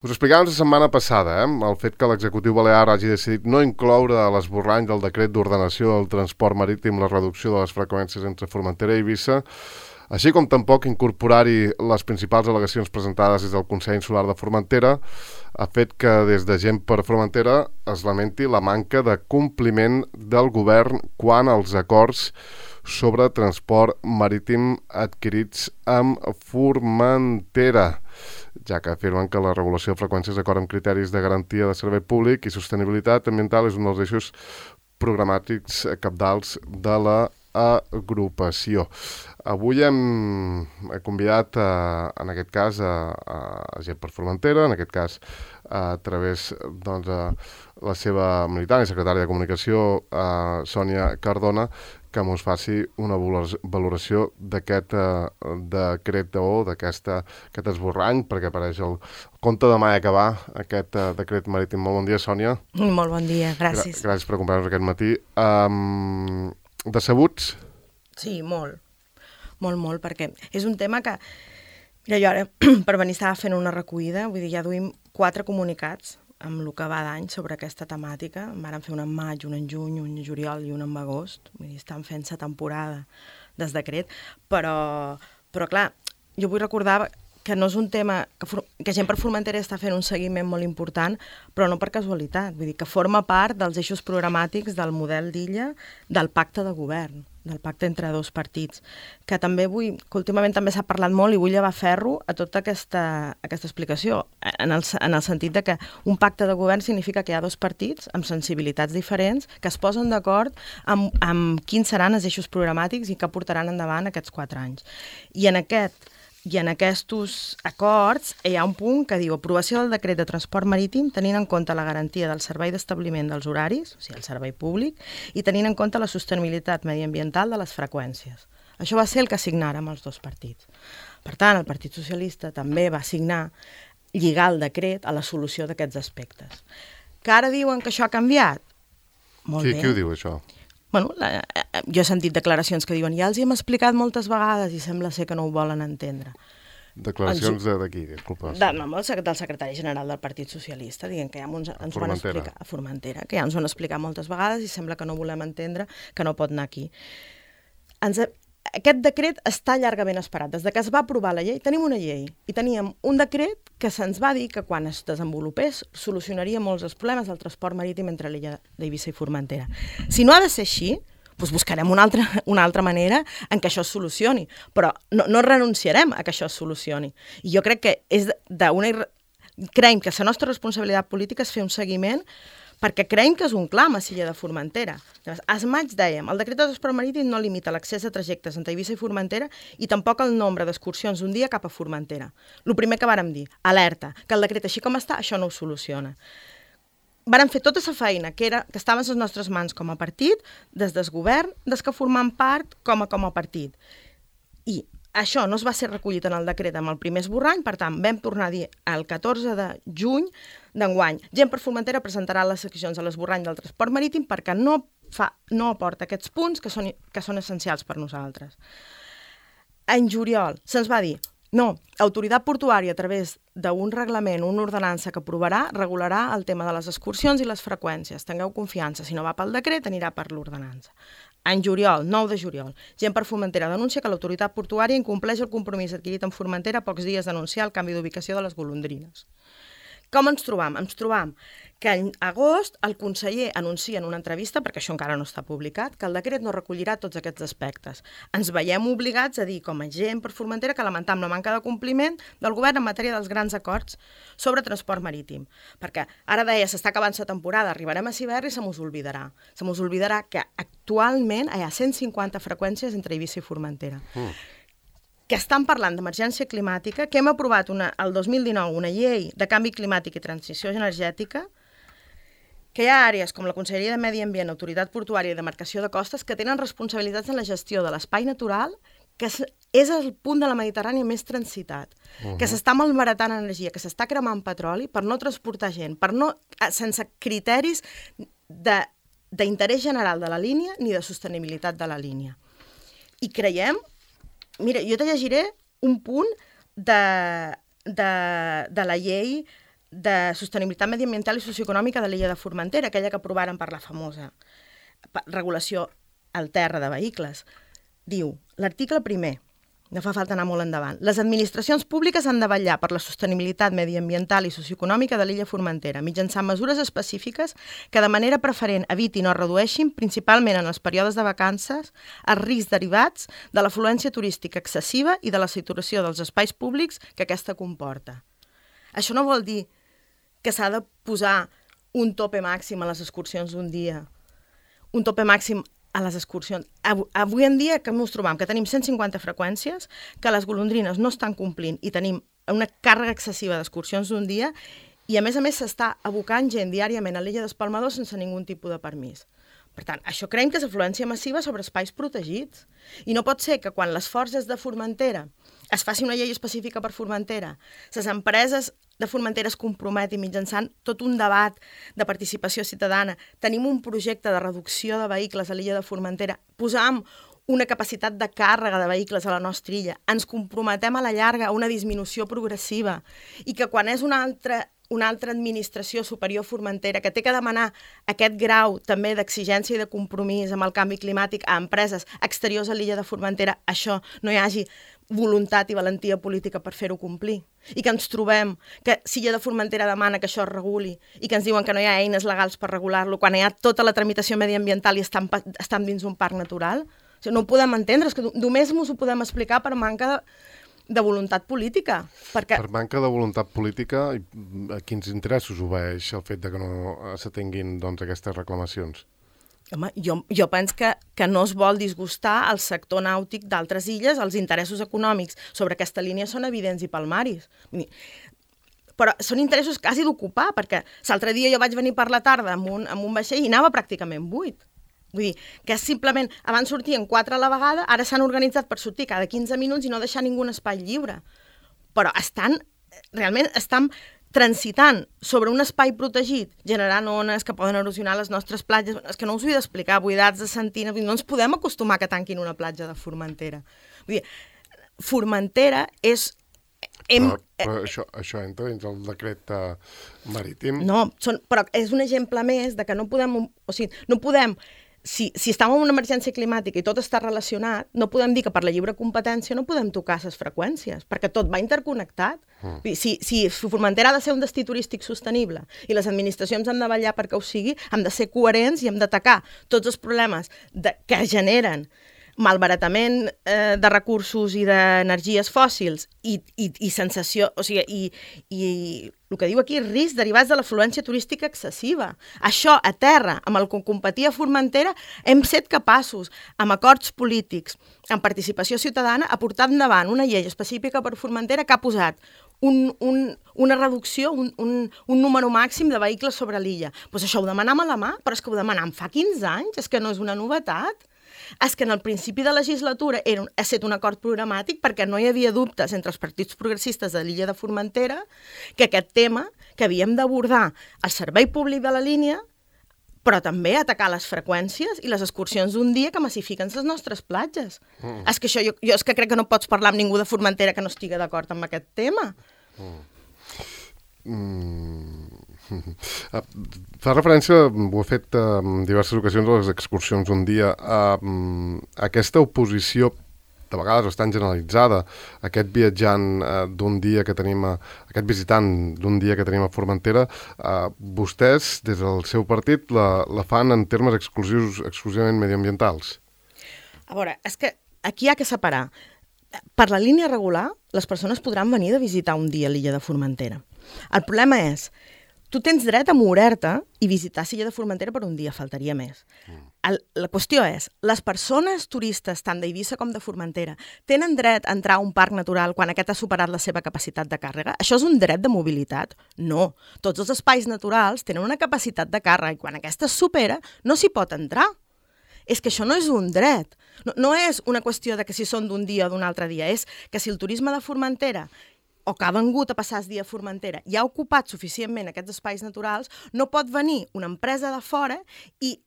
Us explicàvem la setmana passada el fet que l'executiu balear hagi decidit no incloure a l'esborrany del decret d'ordenació del transport marítim la reducció de les freqüències entre Formentera i Eivissa, així com tampoc incorporar-hi les principals al·legacions presentades des del Consell Insular de Formentera, ha fet que des de Gent per Formentera es lamenti la manca de compliment del govern quant als acords sobre transport marítim adquirits amb Formentera, ja que afirmen que la regulació de freqüències d'acord amb criteris de garantia de servei públic i sostenibilitat ambiental és un dels eixos programàtics cabdals de l'agrupació. Avui hem convidat, en aquest cas, a Gent per Formentera, en aquest cas a través de la seva militant i secretària de Comunicació, Sònia Cardona, que ens faci una valoració d'aquest decret o d'aquest esborrany, perquè apareix el compte de mà i acabar aquest decret marítim. Molt bon dia, Sònia. Molt bon dia, gràcies. Gràcies per acompanyar-nos aquest matí. Decebuts? Sí, molt, perquè és un tema que... Mira, jo ara, per venir, estava fent una recollida, vull dir, ja duim 4 comunicats amb el que va d'any sobre aquesta temàtica. En vàrem fer un en maig, un en juny, un en juliol i un en agost. Vull dir, estan fent-se temporada des decret. Però clar, jo vull recordar que no és un tema... que Gent per Formentera està fent un seguiment molt important, però no per casualitat. Vull dir, que forma part dels eixos programàtics del model d'illa del pacte de govern, del pacte entre dos partits, que també que últimament també s'ha parlat molt i vull llevar ferro a tota aquesta explicació, en el sentit de que un pacte de govern significa que hi ha dos partits amb sensibilitats diferents que es posen d'acord amb quins seran els eixos programàtics i que portaran endavant aquests 4 anys. I en aquests acords hi ha un punt que diu aprovació del decret de transport marítim tenint en compte la garantia del servei d'establiment dels horaris, o sigui, el servei públic, i tenint en compte la sostenibilitat mediambiental de les freqüències. Això va ser el que signàrem els dos partits. Per tant, el Partit Socialista també va signar lligar el decret a la solució d'aquests aspectes. Que ara diuen que això ha canviat? Molt bé. Qui ho diu, això? Bueno, jo he sentit declaracions que diuen ja els hi hem explicat moltes vegades i sembla ser que no ho volen entendre. Declaracions de qui? Disculpa. Del secretari general del Partit Socialista, dient que ja ens ho van explicar a Formentera, que ja ens ho han explicat moltes vegades i sembla que no volem entendre que no pot anar aquí. Aquest decret està llargament esperat. Des que es va aprovar la llei, tenim una llei i teníem un decret que se'ns va dir que quan es desenvolupés solucionaria molts dels problemes del transport marítim entre l'illa d'Eivissa i Formentera. Si no ha de ser així, doncs buscarem una altra manera en què això es solucioni, però no renunciarem a que això es solucioni. I jo crec que creiem que la nostra responsabilitat política és fer un seguiment perquè creiem que és un clam a l'illa de Formentera. Al maig dèiem, el decret de transport marítim no limita l'accés a trajectes entre Eivissa i Formentera i tampoc el nombre d'excursions d'un dia cap a Formentera. El primer que vàrem dir, alerta, que el decret així com està, això no ho soluciona. Vàrem fer tota la feina que estava a les nostres mans com a partit, des del govern, des que formam part com a partit. I això no es va ser recollit en el decret amb el primer esborrany, per tant, vam tornar a dir el 14 de juny d'enguany. Gent per Formentera presentarà les seccions a l'esborrany del transport marítim perquè no aporta aquests punts que són essencials per nosaltres. En juliol se'ns va dir no, l'autoritat portuària a través d'un reglament, una ordenança que aprovarà, regularà el tema de les excursions i les freqüències. Tingueu confiança, si no va pel decret, anirà per l'ordenança. En juliol, 9 de juliol, Gent per Formentera denuncia que l'autoritat portuària incompleix el compromís adquirit amb Formentera a pocs dies d'anunciar el canvi d'ubicació de les golondrines. Com ens trobam? Ens trobam que en agost el conseller anuncia en una entrevista, perquè això encara no està publicat, que el decret no recollirà tots aquests aspectes. Ens veiem obligats a dir, com a Gent per Formentera, que lamentam la manca de compliment del govern en matèria dels grans acords sobre transport marítim. Perquè ara deia, s'està acabant la temporada, arribarem a l'hivern i se mos oblidarà. Se mos oblidarà que actualment hi ha 150 freqüències entre Eivissa i Formentera. Que estan parlant d'emergència climàtica, que hem aprovat el 2019 una llei de canvi climàtic i transició energètica, que hi ha àrees com la Conselleria de Medi Ambient, Autoritat Portuària i Demarcació de Costes que tenen responsabilitats en la gestió de l'espai natural, que és el punt de la Mediterrània més transitat, que s'està malbaratant energia, que s'està cremant petroli per no transportar gent, sense criteris d'interès general de la línia ni de sostenibilitat de la línia. I creiem... Mira, jo te llegiré un punt de la llei de sostenibilitat mediambiental i socioeconòmica de l'illa de Formentera, aquella que aprovaren per la famosa regulació al terra de vehicles. Diu, l'article 1, no fa falta anar molt endavant, les administracions públiques han de vetllar per la sostenibilitat mediambiental i socioeconòmica de l'illa Formentera, mitjançant mesures específiques que de manera preferent evitin o redueixin, principalment en els períodes de vacances, els riscs derivats de l'afluència turística excessiva i de la saturació dels espais públics que aquesta comporta. Això no vol dir que s'ha de posar un tope màxim a les excursions d'un dia, un tope màxim a les excursions. Avui en dia que ens trobam? Que tenim 150 freqüències, que les golondrines no estan complint i tenim una càrrega excessiva d'excursions d'un dia i a més s'està abocant gent diàriament a l'illa d'Espalmador sense ningú tipus de permís. Per tant, això creiem que és afluència massiva sobre espais protegits. I no pot ser que quan l'esforç és de Formentera es faci una llei específica per Formentera, les empreses de Formentera es comprometin mitjançant tot un debat de participació ciutadana, tenim un projecte de reducció de vehicles a l'illa de Formentera, posam una capacitat de càrrega de vehicles a la nostra illa, ens comprometem a la llarga a una disminució progressiva i que quan és una altra administració superior Formentera que té que demanar aquest grau també d'exigència i de compromís amb el canvi climàtic a empreses exteriors a l'illa de Formentera, això no hi hagi voluntat i valentia política per fer-ho complir. I que ens trobem que si l'illa de Formentera demana que això es reguli i que ens diuen que no hi ha eines legals per regular-lo, quan hi ha tota la tramitació mediambiental i estan dins un parc natural, o sigui, no ho podem entendre, és que només ens ho podem explicar per manca de voluntat política. Per manca de voluntat política, a quins interessos obeeix el fet de que no s'atenguin aquestes reclamacions? Home, jo penso que no es vol disgustar el sector nàutic d'altres illes, els interessos econòmics sobre aquesta línia són evidents i palmaris. Però són interessos quasi d'ocupar, perquè l'altre dia jo vaig venir per la tarda amb un vaixell i anava pràcticament buit. Vull dir, que simplement abans sortien 4 a la vegada, ara s'han organitzat per sortir cada 15 minuts i no deixar ningú espai lliure. Però realment estan transitant sobre un espai protegit, generant ones que poden erosionar les nostres platges. És que no us ho he d'explicar, buidats de sentina, no ens podem acostumar que tanquin una platja de Formentera. Vull dir, Formentera és... Però això entra dins el decret marítim? No, però és un exemple més de que no podem... O sigui, no podem... Si estem en una emergència climàtica i tot està relacionat, no podem dir que per la lliure competència no podem tocar les freqüències, perquè tot va interconnectat. Si Formentera ha de ser un destí turístic sostenible i les administracions han de vetllar perquè ho sigui, hem de ser coherents i hem d'atacar tots els problemes que generen malbaratament de recursos i d'energies fòssils i sensació, o sigui, i el que diu aquí, riscs derivats de l'afluència turística excessiva. Això, a terra, amb el que competia Formentera, hem set capaços, amb acords polítics, amb participació ciutadana, a portar endavant una llei específica per Formentera que ha posat una reducció, un número màxim de vehicles sobre l'illa. Doncs això ho demanam a la mà, però és que ho demanam fa 15 anys, és que no és una novetat. És que en el principi de legislatura ha estat un acord programàtic perquè no hi havia dubtes entre els partits progressistes de l'illa de Formentera que aquest tema que havíem d'abordar el servei públic de la línia, però també atacar les freqüències i les excursions d'un dia que massifiquen les nostres platges. És que això, jo és que crec que no pots parlar amb ningú de Formentera que no estigui d'acord amb aquest tema. Fa referència, ho he fet en diverses ocasions a les excursions d'un dia, a aquesta oposició de vegades bastant generalitzada, aquest viatjant d'un dia que tenim, aquest visitant d'un dia que tenim a Formentera, vostès, des del seu partit, la fan en termes exclusivament mediambientals? A veure, és que aquí hi ha que separar. Per la línia regular, les persones podran venir de visitar un dia l'illa de Formentera. El problema és, tu tens dret a moure-te i visitar l'illa de Formentera per un dia, faltaria més. La qüestió és, les persones turistes, tant d'Eivissa com de Formentera, tenen dret a entrar a un parc natural quan aquest ha superat la seva capacitat de càrrega? Això és un dret de mobilitat? No. Tots els espais naturals tenen una capacitat de càrrega i quan aquesta es supera, no s'hi pot entrar. És que això no és un dret. No és una qüestió de que si són d'un dia o d'un altre dia, és que si el turisme de Formentera o que ha vengut a passar el dia a Formentera i ha ocupat suficientment aquests espais naturals, no pot venir una empresa de fora i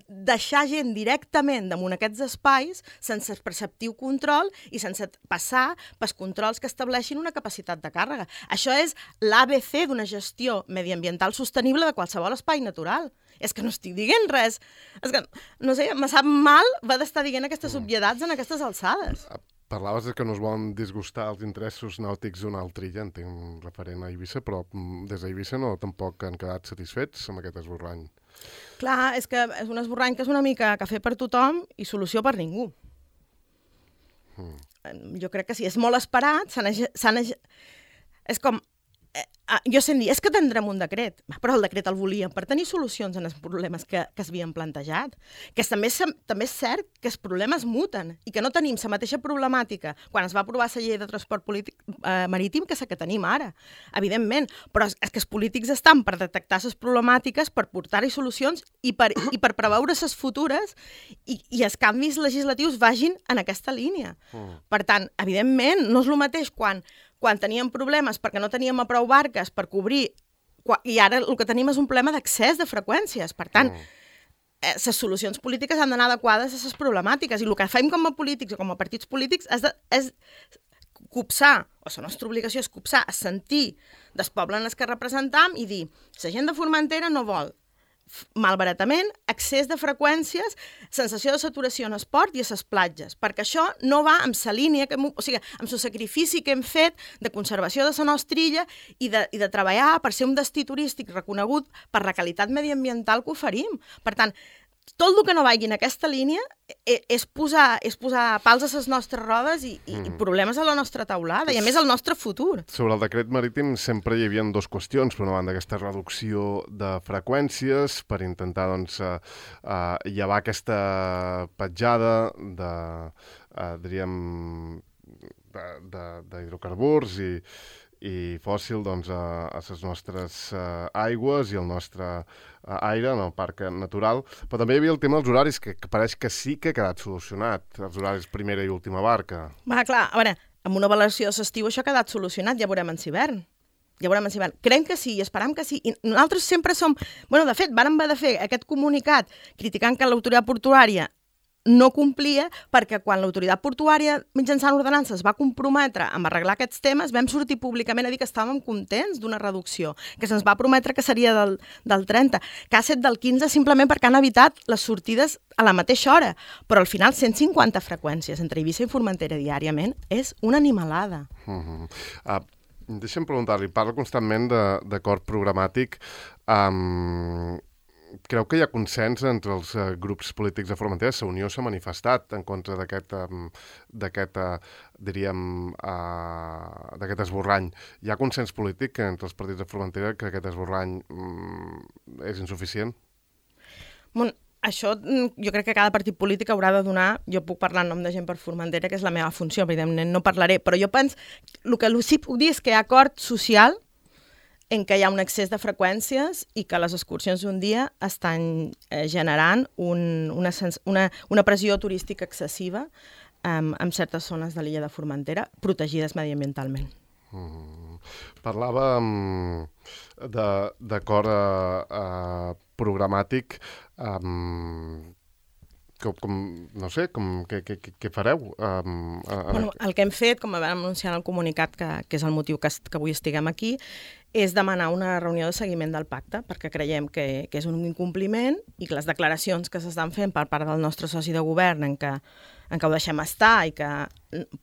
deixar gent directament damunt aquests espais sense preceptiu control i sense passar pels controls que estableixin una capacitat de càrrega. Això és l'ABC d'una gestió mediambiental sostenible de qualsevol espai natural. És que no estic dient res. És que, no sé, me sap mal va d'estar dient aquestes obviedats en aquestes alçades. Parlaves que no es volen disgustar els interessos nàutics d'una altra illa, entenc referent a Eivissa, però des d'Eivissa no tampoc han quedat satisfets amb aquest esborrany. Clar, és que és un esborrany que és una mica cafè per tothom i solució per ningú. Jo crec que sí, és molt esperat, és com... Jo sent dir, és que tindrem un decret, però el decret el volíem per tenir solucions en els problemes que s'havien plantejat. Que també és cert que els problemes muten i que no tenim la mateixa problemàtica quan es va aprovar la llei de transport marítim que la que tenim ara, evidentment. Però és que els polítics estan per detectar les problemàtiques, per portar-hi solucions i per preveure les futures i els canvis legislatius vagin en aquesta línia. Per tant, evidentment, no és el mateix quan teníem problemes perquè no teníem a prou barques per cobrir, i ara el que tenim és un problema d'accés de freqüències. Per tant, les solucions polítiques han d'anar adequades a les problemàtiques, i el que fem com a polítics o com a partits polítics és copsar, o la nostra obligació és copsar, és sentir del poble en el que representam i dir, la gent de Formentera no vol malbaratament, excés de freqüències, sensació de saturació en esport i a les platges, perquè això no va amb la línia, amb el sacrifici que hem fet de conservació de la nostra illa i de treballar per ser un destí turístic reconegut per la qualitat mediambiental que oferim. Per tant, tot el que no vagi en aquesta línia és posar pals a les nostres rodes i problemes a la nostra taulada, i a més al nostre futur. Sobre el decret marítim sempre hi havia dues qüestions. Per una banda, aquesta reducció de freqüències per intentar llevar aquesta petjada d'hidrocarburs i fòssil a les nostres aigües i el nostre aire en el parc natural. Però també hi havia el tema dels horaris, que pareix que sí que ha quedat solucionat, els horaris primera i última barca. Va, clar, a veure, amb una valoració de l'estiu això ha quedat solucionat, ja veurem en hivern. Creiem que sí i esperam que sí. I nosaltres sempre som... De fet, vàrem haver de fer aquest comunicat criticant que l'autoritat portuària no complia, perquè quan l'autoritat portuària mitjançant ordenances va comprometre a arreglar aquests temes, vam sortir públicament a dir que estàvem contents d'una reducció, que se'ns va prometre que seria del 30, que ha estat del 15 simplement perquè han evitat les sortides a la mateixa hora, però al final 150 freqüències entre Eivissa i Formentera diàriament és una animalada. Deixa'm preguntar-li, parla constantment d'acord programàtic. Creu que hi ha consens entre els grups polítics de Formentera? La Unió s'ha manifestat en contra d'aquest esborrany. Hi ha consens polític entre els partits de Formentera que aquest esborrany és insuficient? Això jo crec que cada partit polític haurà de donar, jo puc parlar en nom de gent per Formentera, que és la meva funció, evidentment no parlaré, però jo penso, el que sí puc dir és que hi ha acord social en què hi ha un excés de freqüències i que les excursions d'un dia estan generant una pressió turística excessiva en certes zones de l'illa de Formentera, protegides mediambientalment. Parlava d'acord programàtic. No sé, què fareu? El que hem fet, com vam anunciar en el comunicat, que és el motiu que avui estiguem aquí, és demanar una reunió de seguiment del pacte, perquè creiem que és un incompliment i que les declaracions que s'estan fent per part del nostre soci de govern en què ho deixem estar i que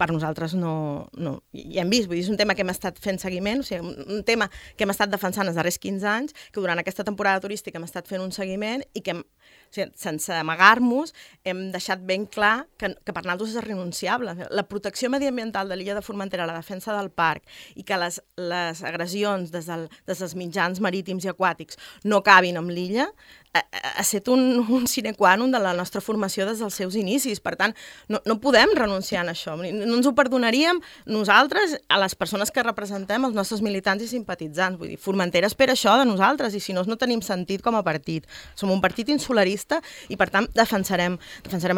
per nosaltres no hi hem vist. Vull dir, és un tema que hem estat fent seguiment, o sigui, un tema que hem estat defensant els darrers 15 anys, que durant aquesta temporada turística hem estat fent un seguiment i que, sense amagar-nos, hem deixat ben clar que per nosaltres és renunciable. La protecció mediambiental de l'illa de Formentera, la defensa del parc i que les agressions des dels mitjans marítims i aquàtics no acabin amb l'illa, ha estat un sine qua non de la nostra formació des dels seus inicis. Per tant, no podem renunciar a això. No ens ho perdonaríem nosaltres, a les persones que representem, els nostres militants i simpatitzants. Vull dir, Formentera espera això de nosaltres i si no tenim sentit com a partit. Som un partit insularista i, per tant, defensarem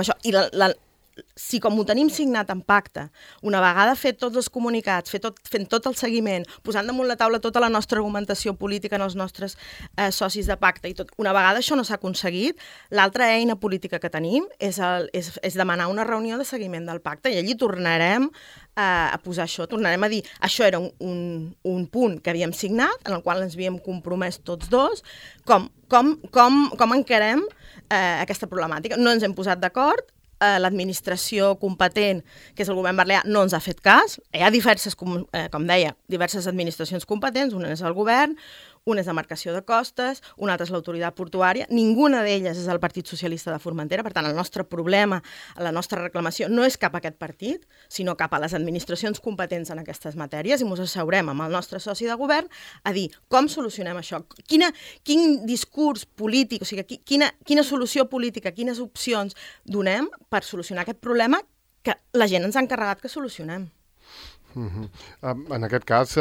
això. I si com ho tenim signat en pacte, una vegada fet tots els comunicats, fent tot el seguiment, posant damunt la taula tota la nostra argumentació política en els nostres socis de pacte i tot, una vegada això no s'ha aconseguit, l'altra eina política que tenim és demanar una reunió de seguiment del pacte i allí tornarem a posar això, tornarem a dir això era un punt que havíem signat, en el qual ens havíem compromès tots dos, com encarem aquesta problemàtica. No ens hem posat d'acord, l'administració competent, que és el govern balear, no ens ha fet cas. Hi ha diverses, com deia, diverses administracions competents, una és el govern, una és la marcació de costes, una altra és l'autoritat portuària, ninguna d'elles és el Partit Socialista de Formentera, per tant, el nostre problema, la nostra reclamació no és cap a aquest partit, sinó cap a les administracions competents en aquestes matèries, i ens asseurem amb el nostre soci de govern a dir com solucionem això, quin discurs polític, o sigui, quina solució política, quines opcions donem per solucionar aquest problema que la gent ens ha encarregat que solucionem. En aquest cas,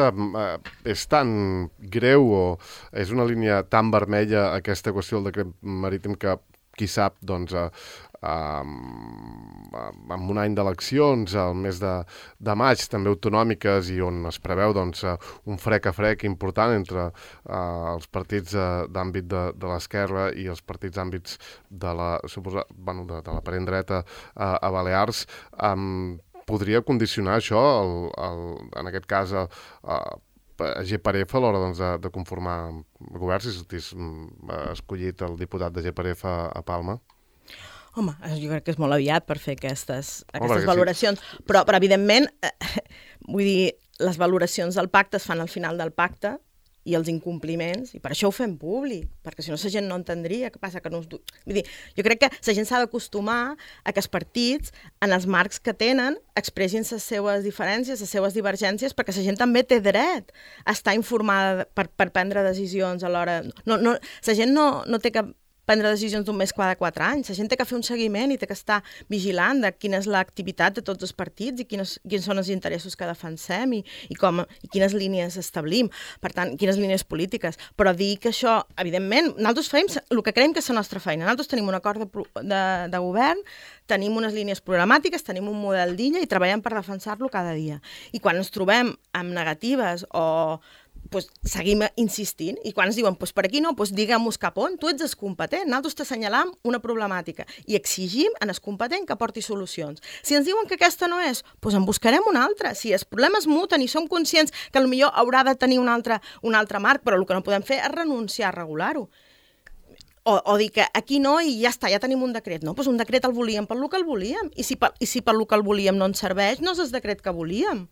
és tan greu o és una línia tan vermella aquesta qüestió del decret marítim que, qui sap, doncs, en un any d'eleccions, al mes de maig, també autonòmiques, i on es preveu doncs, un frec a frec important entre els partits d'àmbit de l'esquerra i els partits d'àmbits de la parent dreta a Balears, podria condicionar això, en aquest cas, a GPRF a l'hora doncs, de conformar el govern, si sortís escollit el diputat de GPRF a Palma? Home, jo crec que és molt aviat per fer aquestes valoracions, sí. Però evidentment, vull dir, les valoracions del pacte es fan al final del pacte, i els incompliments, i per això ho fem públic, perquè si no la gent no entendria què passa. Vull dir, jo crec que la gent s'ha d'acostumar a que els partits, en els marcs que tenen, expressin les seves diferències, les seves divergències, perquè la gent també té dret a estar informada per prendre decisions a l'hora... La gent no té que prendre decisions d'un mes cada 4 anys. La gent té que fer un seguiment i té que estar vigilant de quina és l'activitat de tots els partits i quins són els interessos que defensem i quines línies establim. Per tant, quines línies polítiques. Però dir que això, evidentment, nosaltres fem el que creiem que és la nostra feina. Nosaltres tenim un acord de govern, tenim unes línies programàtiques, tenim un model d'illa i treballem per defensar-lo cada dia. I quan ens trobem amb negatives o seguim insistint, i quan ens diuen per aquí no, diguem-nos cap on, tu ets el competent, nosaltres t'assenyalam una problemàtica i exigim en el competent que porti solucions. Si ens diuen que aquesta no és, en buscarem una altra. Si els problemes muten i som conscients que potser haurà de tenir un altre marc, però el que no podem fer és renunciar a regular-ho. O dir que aquí no i ja està, ja tenim un decret. No, un decret el volíem pel que el volíem, i si pel que el volíem no ens serveix, no és el decret que volíem.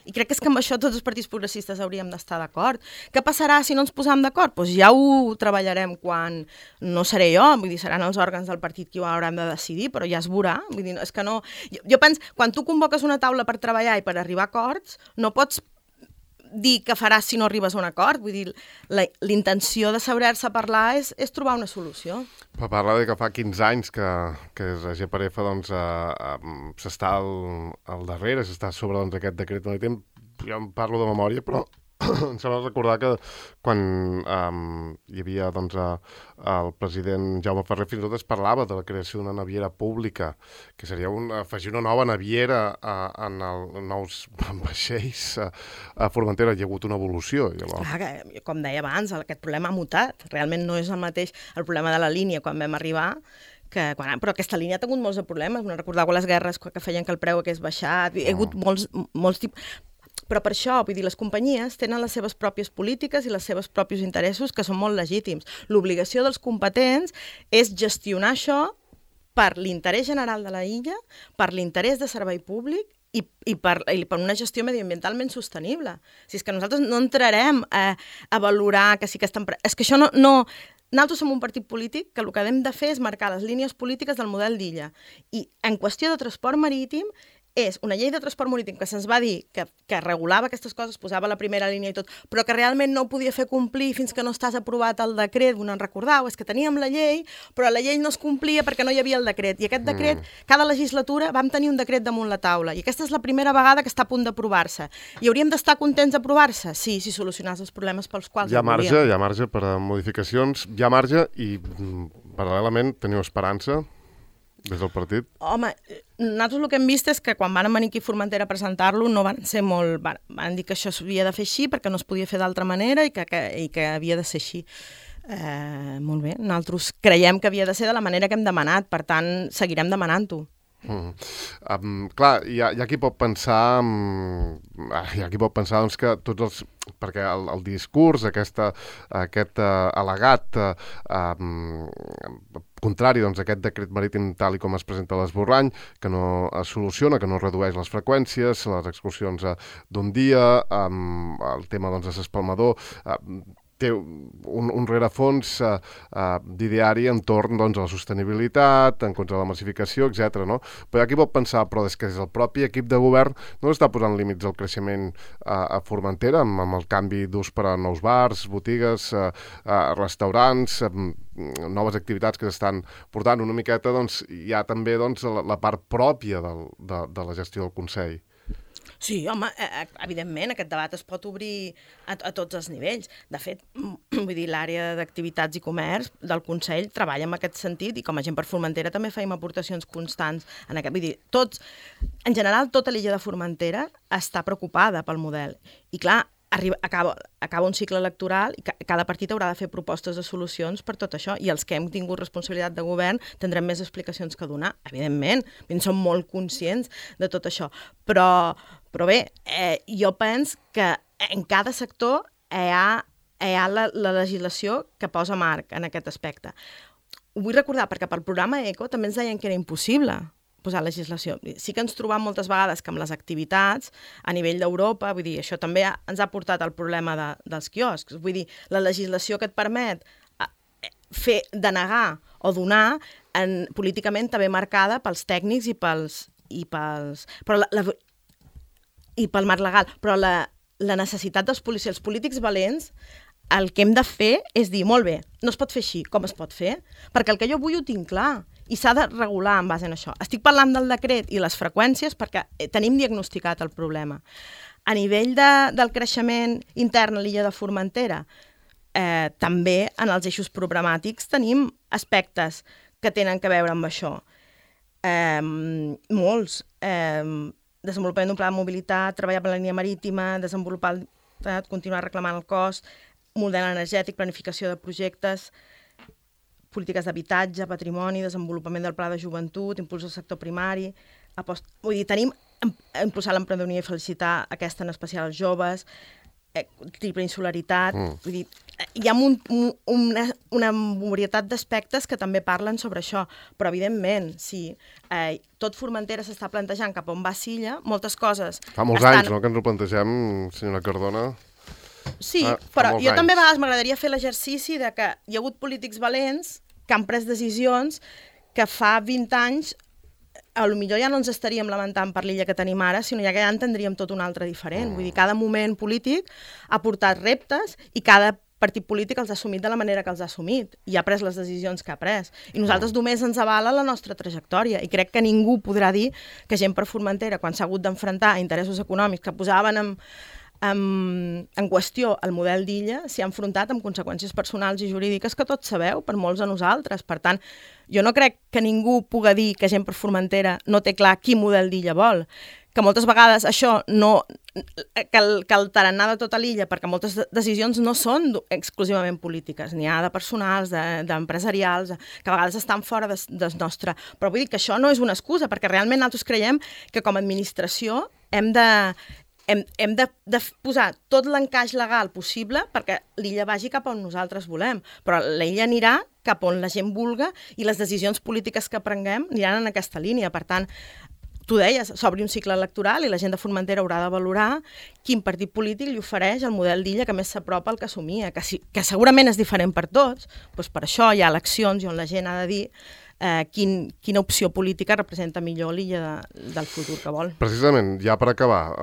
I crec que és que amb això tots els partits progressistes hauríem d'estar d'acord. Què passarà si no ens posem d'acord? Ja ho treballarem quan... No seré jo, vull dir, seran els òrgans del partit qui ho hauran de decidir, però ja es veurà. Vull dir, és que no... Jo penso, quan tu convoques una taula per treballar i per arribar a acords, no pots dir què faràs si no arribes a un acord. Vull dir, l'intenció de saber-se parlar és trobar una solució. Per parlar que fa 15 anys que la GPRF doncs, s'està al darrere, s'està sobre aquest decret marítim, jo em parlo de memòria, però em sembla recordar que quan hi havia doncs, el president Jaume Ferrer, fins i tot es parlava de la creació d'una naviera pública, que seria afegir una nova naviera en els nous vaixells a Formentera. Hi ha hagut una evolució. Clar, com deia abans, aquest problema ha mutat. Realment no és el mateix el problema de la línia quan vam arribar, però aquesta línia ha tingut molts problemes. No recordeu les guerres que feien que el preu hagués baixat. Hi ha hagut molts tipus... Però per això, vull dir, les companyies tenen les seves pròpies polítiques i els seus propis interessos que són molt legítims. L'obligació dels competents és gestionar això per l'interès general de la illa, per l'interès de servei públic i per una gestió mediambientalment sostenible. Si és que nosaltres no entrarem a valorar que sí que estan... És que això no... Nosaltres som un partit polític que el que hem de fer és marcar les línies polítiques del model d'illa. I en qüestió de transport marítim és una llei de transport marítim que se'ns va dir que regulava aquestes coses, posava la primera línia i tot, però que realment no ho podia fer complir fins que no estàs aprovat el decret. No en recordeu, és que teníem la llei, però la llei no es complia perquè no hi havia el decret. I aquest decret, cada legislatura vam tenir un decret damunt la taula, i aquesta és la primera vegada que està a punt d'aprovar-se. I hauríem d'estar contents d'aprovar-se? Sí, si solucionàs els problemes pels quals hi ha marge per a modificacions, hi ha marge i paral·lelament teniu esperança des del partit? Home, nosaltres el que hem vist és que quan van venir aquí a Formentera a presentar-lo no van ser molt... Van dir que això s'havia de fer així perquè no es podia fer d'altra manera i que havia de ser així. Molt bé, nosaltres creiem que havia de ser de la manera que hem demanat, per tant, seguirem demanant-ho. Clar, hi ha qui pot pensar doncs, que tots els... perquè el discurs, aquest al·legat contrari doncs, a aquest decret marítim tal i com es presenta a l'Esborrany, que no es soluciona, que no redueix les freqüències, les excursions d'un dia, el tema doncs, de l'espalmador, té un rerefons d'ideari entorn doncs, a la sostenibilitat, en contra de la massificació, etc. No? Però aquí pot pensar, però és que el propi equip de govern no està posant límits al creixement a Formentera, amb el canvi d'ús per a nous bars, botigues, restaurants, noves activitats que s'estan portant una miqueta, doncs hi ha també doncs, la part pròpia de la gestió del Consell. Sí, home, evidentment aquest debat es pot obrir a tots els nivells. De fet, vull dir, l'àrea d'activitats i comerç del Consell treballa en aquest sentit i com a gent per Formentera també feim aportacions constants en aquest. Vull dir, en general, tota l'illa de Formentera està preocupada pel model. I clar, acaba un cicle electoral i cada partit haurà de fer propostes de solucions per tot això, i els que hem tingut responsabilitat de govern tindrem més explicacions que donar, evidentment, som molt conscients de tot això, però bé, jo penso que en cada sector hi ha la legislació que posa marc en aquest aspecte. Ho vull recordar perquè pel programa ECO també ens deien que era impossible posar legislació. Sí que ens trobam moltes vegades que amb les activitats a nivell d'Europa, vull dir, això també ens ha portat al problema dels quioscs. Vull dir, la legislació que et permet denegar o donar políticament també marcada pels tècnics i pel marc legal. Però la necessitat dels polítics valents, el que hem de fer és dir, molt bé, no es pot fer així, com es pot fer? Perquè el que jo vull ho tinc clar i s'ha de regular en base a això. Estic parlant del decret i les freqüències perquè tenim diagnosticat el problema. A nivell del creixement intern a l'illa de Formentera, també en els eixos programàtics tenim aspectes que tenen a veure amb això. Molts. Desenvolupament d'un pla de mobilitat, treballar per la línia marítima, continuar reclamant el cost, model energètic, planificació de projectes, polítiques d'habitatge, patrimoni, desenvolupament del pla de joventut, impuls al sector primari, vull dir, tenim impulsar l'emprenedoria i felicitar aquesta en especial als joves, triple insularitat, vull dir, hi ha una varietat d'aspectes que també parlen sobre això, però evidentment, si tot Formentera s'està plantejant cap on va Silla, moltes coses... Fa molts anys, no?, que ens ho plantegem, senyora Cardona. Sí, però jo també a vegades m'agradaria fer l'exercici de que hi ha hagut polítics valents que han pres decisions que fa 20 anys potser ja no ens estaríem lamentant per l'illa que tenim ara, sinó ja que ja en tindríem tot un altre diferent. Vull dir, cada moment polític ha portat reptes i cada partit polític els ha assumit de la manera que els ha assumit i ha pres les decisions que ha pres. I nosaltres només ens avala la nostra trajectòria i crec que ningú podrà dir que gent per Formentera, quan s'ha hagut d'enfrontar a interessos econòmics que posaven en qüestió el model d'illa, s'hi ha enfrontat amb conseqüències personals i jurídiques que tots sabeu, per molts de nosaltres. Per tant, jo no crec que ningú pugui dir que gent per Formentera no té clar quin model d'illa vol, que moltes vegades això no... que el tarannà de tota l'illa, perquè moltes decisions no són exclusivament polítiques, n'hi ha de personals, d'empresarials, que a vegades estan fora del nostre... Però vull dir que això no és una excusa, perquè realment nosaltres creiem que com a administració hem de posar tot l'encaix legal possible perquè l'illa vagi cap on nosaltres volem, però l'illa anirà cap on la gent vulga i les decisions polítiques que prenguem aniran en aquesta línia. Per tant, tu deies, s'obri un cicle electoral i la gent de Formentera haurà de valorar quin partit polític li ofereix el model d'illa que més s'apropa al que assumia, que segurament és diferent per tots, doncs per això hi ha eleccions i on la gent ha de dir quina opció política representa millor l'illa del futur que vol. Precisament, ja per acabar,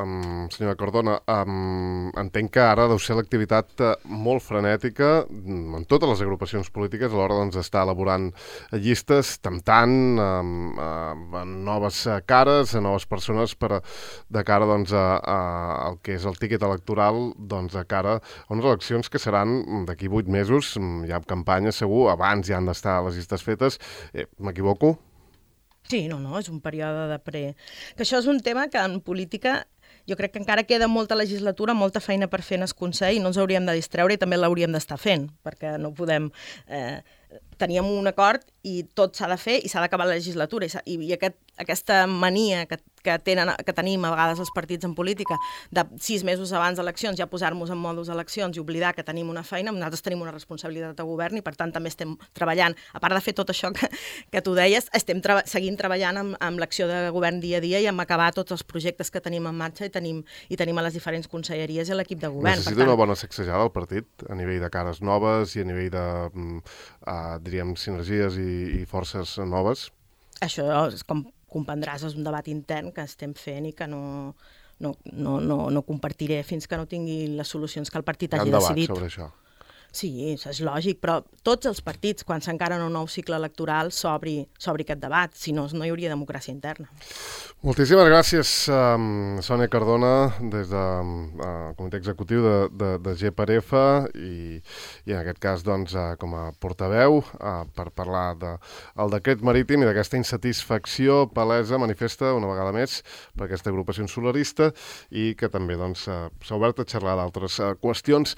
senyora Cardona, entenc que ara deu ser l'activitat molt frenètica en totes les agrupacions polítiques a l'hora d'estar elaborant llistes, temptant noves cares, noves persones de cara al que és el tíquet electoral de cara a unes eleccions que seran d'aquí 8 mesos, hi ha campanya segur, abans ja han d'estar les llistes fetes. M'equivoco? Sí, no, és un període de Que això és un tema que en política jo crec que encara queda molta legislatura, molta feina per fer en el Consell i no ens hauríem de distreure i també l'hauríem d'estar fent, perquè no podem... Teníem un acord i tot s'ha de fer i s'ha d'acabar la legislatura. I aquesta mania que tenim a vegades els partits en política de 6 mesos abans d'eleccions ja posar-nos en modus eleccions i oblidar que tenim una feina, nosaltres tenim una responsabilitat de govern i per tant també estem treballant, a part de fer tot això que tu deies, estem seguint treballant amb l'acció de govern dia a dia i amb acabar tots els projectes que tenim en marxa i tenim a les diferents conselleries i a l'equip de govern. Necessita una bona sacsejada al partit a nivell de cares noves i a nivell de, diríem, sinergies i forces noves? Això, com comprendràs, és un debat intern que estem fent i que no compartiré fins que no tingui les solucions que el partit hagi decidit. Hi ha un debat sobre això. Sí, és lògic, però tots els partits, quan s'encara en un nou cicle electoral, s'obri aquest debat, si no, no hi hauria democràcia interna. Moltíssimes gràcies, Sònia Cardona, des del Comitè Executiu de GPRF i en aquest cas doncs, com a portaveu per parlar del decret marítim i d'aquesta insatisfacció palesa, manifesta una vegada més per aquesta agrupació insularista i que també s'ha obert a xerrar d'altres qüestions.